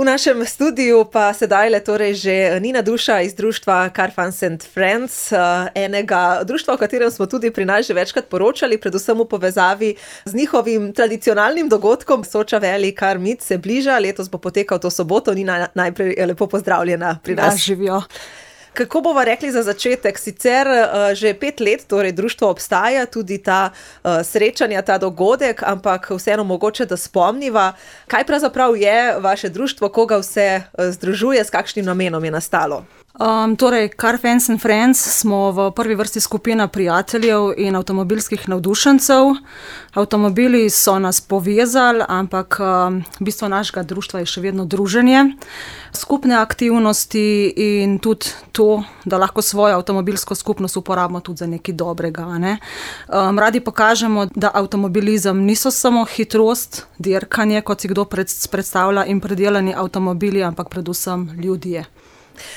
V našem studiu pa sedaj le torej že Nina Duša iz društva Car Fans and Friends, enega društva, o katerem smo tudi pri nas že večkrat poročali, predvsem v povezavi z njihovim tradicionalnim dogodkom. Soča Valley Car Meet se bliža, letos bo potekal to soboto. Nina, najprej lepo pozdravljena pri nas. Ja, živijo. Kako bova rekli za začetek? Sicer že 5 let, torej društvo obstaja, tudi ta srečanja, ta dogodek, ampak vseeno mogoče, da spomniva, kaj pravzaprav je vaše društvo, koga vse združuje, s kakšnim namenom je nastalo? Torej, Car Fans and Friends smo v prvi vrsti skupina prijateljev in avtomobilskih navdušencev. Avtomobili so nas povezali, ampak bistvo našega društva je še vedno druženje, skupne aktivnosti in tudi to, da lahko svojo avtomobilsko skupnost uporabimo tudi za nekaj dobrega. Ne? Radi pokažemo, da avtomobilizem niso samo hitrost, dirkanje, kot si kdo predstavlja, in predelani avtomobili, ampak predvsem ljudje.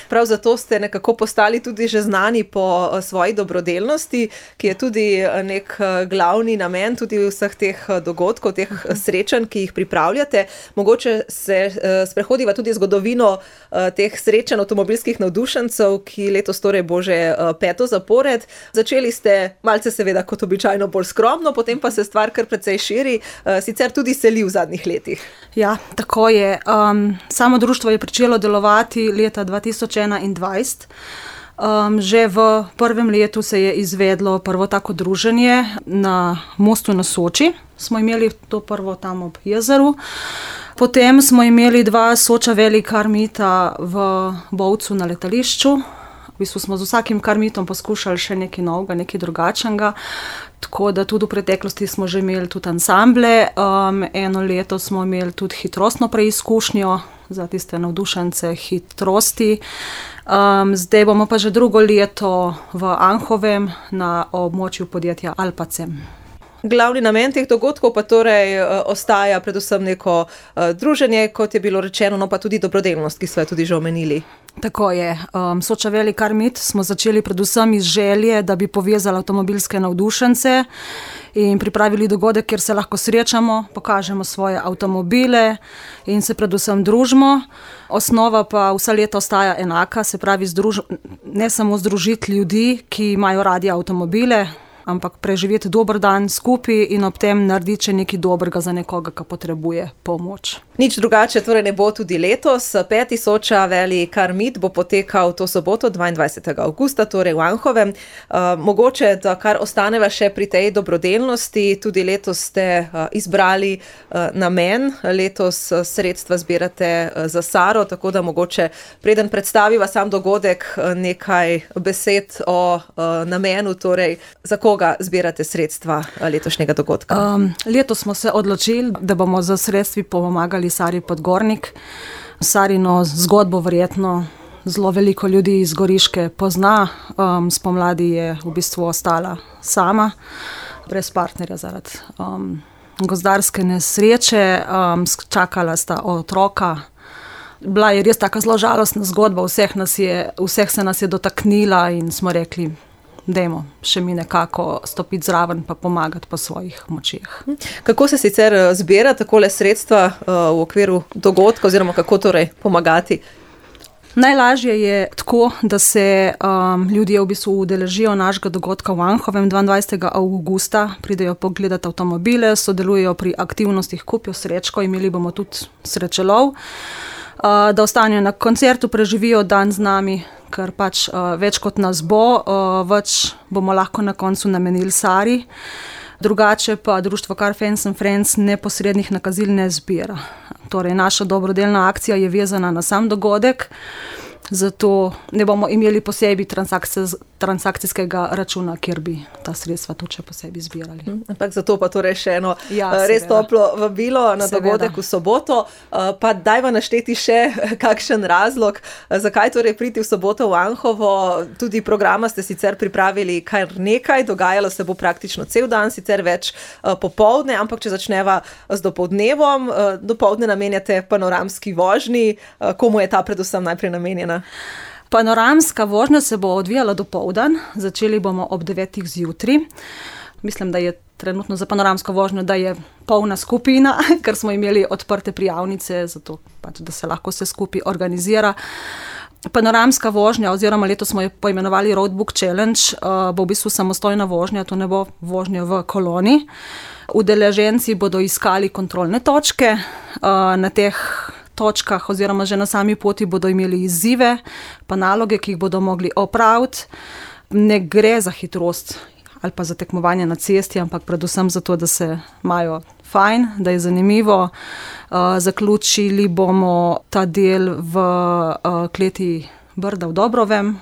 Prav zato ste nekako postali tudi že znani po svoji dobrodelnosti, ki je tudi nek glavni namen tudi vseh teh dogodkov, teh srečanj, ki jih pripravljate. Mogoče se sprehodiva tudi zgodovino teh srečanj avtomobilskih navdušencev, ki letos torej bo že 5. zapored. Začeli ste malce seveda kot običajno bolj skromno, potem pa se stvar kar precej širi, sicer tudi seli v zadnjih letih. Ja, tako je. Samo društvo je pričelo delovati leta 2021. Že v prvem letu se je izvedlo prvo tako druženje na mostu na Soči. Smo imeli to prvo tam ob jezeru. Potem smo imeli 2 Soča Valley Car Meeta v Bovcu na letališču. V bistvu smo z vsakim Car Meetom poskušali še nekaj novega, nekaj drugačnega. Tako da tudi v preteklosti smo že imeli tudi ansamble. Eno leto smo imeli tudi hitrostno preizkušnjo za tiste navdušence hitrosti. Zdaj bomo pa že drugo leto v Anhovem na območju podjetja Alpacem. Glavni namen teh dogodkov pa torej ostaja predvsem neko druženje, kot je bilo rečeno, no pa tudi dobrodelnost, ki so jo tudi že omenili. Tako je. Soča Valley Car Meet smo začeli predvsem iz želje, da bi povezali avtomobilske navdušence in pripravili dogodek, kjer se lahko srečamo, pokažemo svoje avtomobile in se predvsem družimo. Osnova pa vsa leta ostaja enaka, se pravi ne samo združiti ljudi, ki imajo radi avtomobile, ampak preživeti dober dan skupaj in ob tem narediti še nekaj dobrega za nekoga, ki potrebuje pomoč. Nič drugače torej ne bo tudi letos. 5. Soča Valley Car Meet bo potekal to soboto 22. avgusta, torej v Anhovem. Mogoče, da kar ostaneva še pri tej dobrodelnosti, tudi letos ste izbrali namen, letos sredstva zbirate za Saro, tako da mogoče preden predstaviva sam dogodek nekaj besed o namenu, torej za koga zbirate sredstva letošnjega dogodka? Letos smo se odločili, da bomo za sredstvi pomagali Sari Podgornik. Sarino zgodbo verjetno zelo veliko ljudi iz Goriške pozna. Spomladi je v bistvu ostala sama, brez partnerja zaradi gozdarske nesreče. Čakala sta otroka. Bila je res taka zelo žalostna zgodba, vseh se nas je dotaknila in smo rekli, dajmo še mi nekako stopiti zraven pa pomagati po svojih močeh. Kako se sicer zbira takole sredstva v okviru dogodka oziroma kako torej pomagati? Najlažje je tako, da se ljudje v bistvu udeležijo našega dogodka v Anhovem 22. avgusta, pridejo pogledati avtomobile, sodelujejo pri aktivnostih, kupijo srečko, imeli bomo tudi srečelov, da ostanejo na koncertu, preživijo dan z nami, ker pač več kot nas bo, več bomo lahko na koncu namenili Sari. Drugače pa društvo Car Fans and Friends neposrednih nakazil ne zbira. Torej, naša dobrodelna akcija je vezana na sam dogodek, zato ne bomo imeli posebej transakcijskega računa, kjer bi ta sredstva tudi posebej zbirali. Ampak zato pa torej še eno res toplo vabilo na dogodek v soboto. Pa dajva našteti še kakšen razlog, zakaj torej priti v soboto v Anhovo. Tudi programa ste sicer pripravili kar nekaj, dogajalo se bo praktično cel dan, sicer več popoldne, ampak če začneva z dopoldnevom, dopoldne namenjate panoramski vožnji. Komu je ta predvsem najprej namenjena? Panoramska vožnja se bo odvijala dopoldan, začeli bomo ob 9. zjutraj. mislim, da je trenutno za panoramsko vožnjo, da je polna skupina, ker smo imeli odprte prijavnice, zato pač, da se lahko vse skupaj organizira. Panoramska vožnja, oziroma letos smo jo poimenovali Roadbook Challenge, bo v bistvu samostojna vožnja, to ne bo vožnja v koloni. Udeleženci bodo iskali kontrolne točke, na teh točkah oziroma že na sami poti bodo imeli izzive, pa naloge, ki jih bodo mogli opraviti. Ne gre za hitrost ali pa za tekmovanje na cesti, ampak predvsem zato, da se imajo fajn, da je zanimivo. Zaključili bomo ta del v kleti Brda v Dobrovem,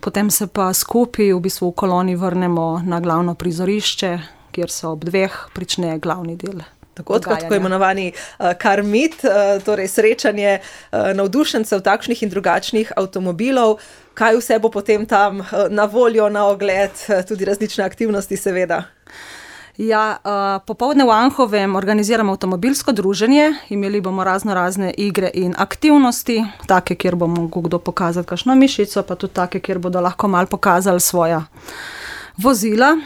potem se pa skupaj v bistvu v koloni vrnemo na glavno prizorišče, kjer se ob 2 prične glavni del. Tako imenovani karmit, torej srečanje navdušencev takšnih in drugačnih avtomobilov. Kaj vse bo potem tam na voljo, na ogled, tudi različne aktivnosti seveda? Ja, popoldne v Anhovem organiziramo avtomobilsko druženje, imeli bomo razne igre in aktivnosti, take, kjer bo mogel kdo pokazati kakšno mišico, pa tudi take, kjer bodo lahko malo pokazali svoja vozila.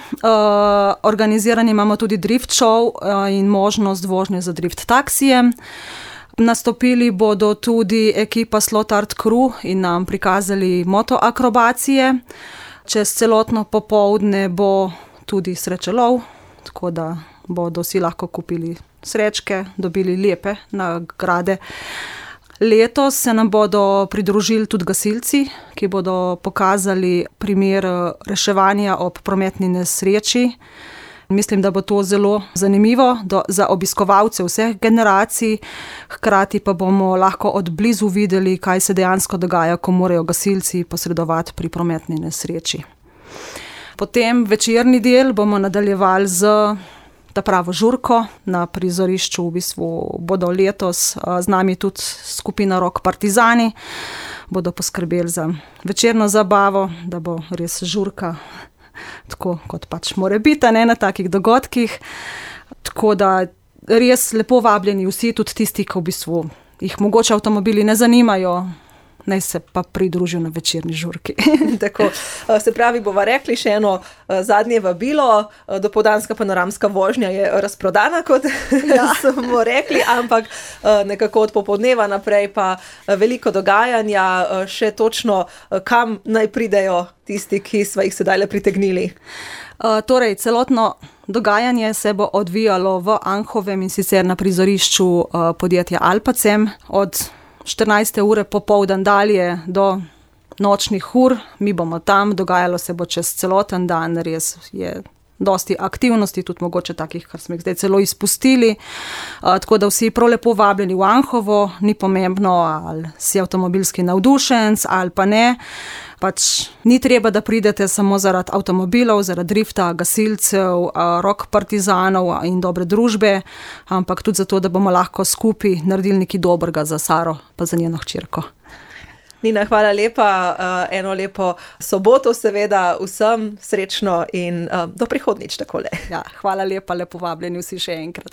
Organizirani imamo tudi drift show in možnost vožnje za drift taksijem. Nastopili bodo tudi ekipa Slot Art Crew in nam prikazali motoakrobacije. Čez celotno popoldne bo tudi srečelov, tako da bodo vsi lahko kupili srečke, dobili lepe nagrade. Letos se nam bodo pridružili tudi gasilci, ki bodo pokazali primer reševanja ob prometni nesreči. Mislim, da bo to zelo zanimivo za obiskovalce vseh generacij, hkrati pa bomo lahko od blizu videli, kaj se dejansko dogaja, ko morajo gasilci posredovati pri prometni nesreči. Potem večerni del bomo nadaljevali z ta pravo žurko na prizorišču. V bistvu bodo letos z nami tudi skupina Rock Partizani, bodo poskrbeli za večerno zabavo, da bo res žurka tako, kot pač more biti, ne, na takih dogodkih. Tako da res lepo vabljeni vsi, tudi tisti, ki v bistvu jih mogoče avtomobili ne zanimajo, naj se pa pridružijo na večerni žurki. Tako, se pravi, bova rekli še eno zadnje vabilo, dopoldanska panoramska vožnja je razprodana, kot smo rekli, ampak nekako od popoldneva naprej pa veliko dogajanja, še točno kam naj pridejo tisti, ki sva jih sedaj le pritegnili. Torej, celotno dogajanje se bo odvijalo v Anhovem in sicer na prizorišču podjetja Alpacem od 14. ure popoldan dalje do nočnih ur. Mi bomo tam, dogajalo se bo čez celoten dan, res je dosti aktivnosti, tudi mogoče takih, kar smo jih zdaj celo izpustili. Tako da vsi prav lepo vabljeni v Anhovo, ni pomembno, ali si avtomobilski navdušenc ali pa ne. Pač ni treba, da pridete samo zaradi avtomobilov, zaradi drifta, gasilcev, rock partizanov in dobre družbe, ampak tudi zato, da bomo lahko skupaj naredili nekaj dobrega za Saro pa za njeno hčerko. Nina, hvala lepa, eno lepo soboto seveda vsem, srečno in do prihodnjič takole. Ja, hvala lepa, lepo vabljeni vsi še enkrat.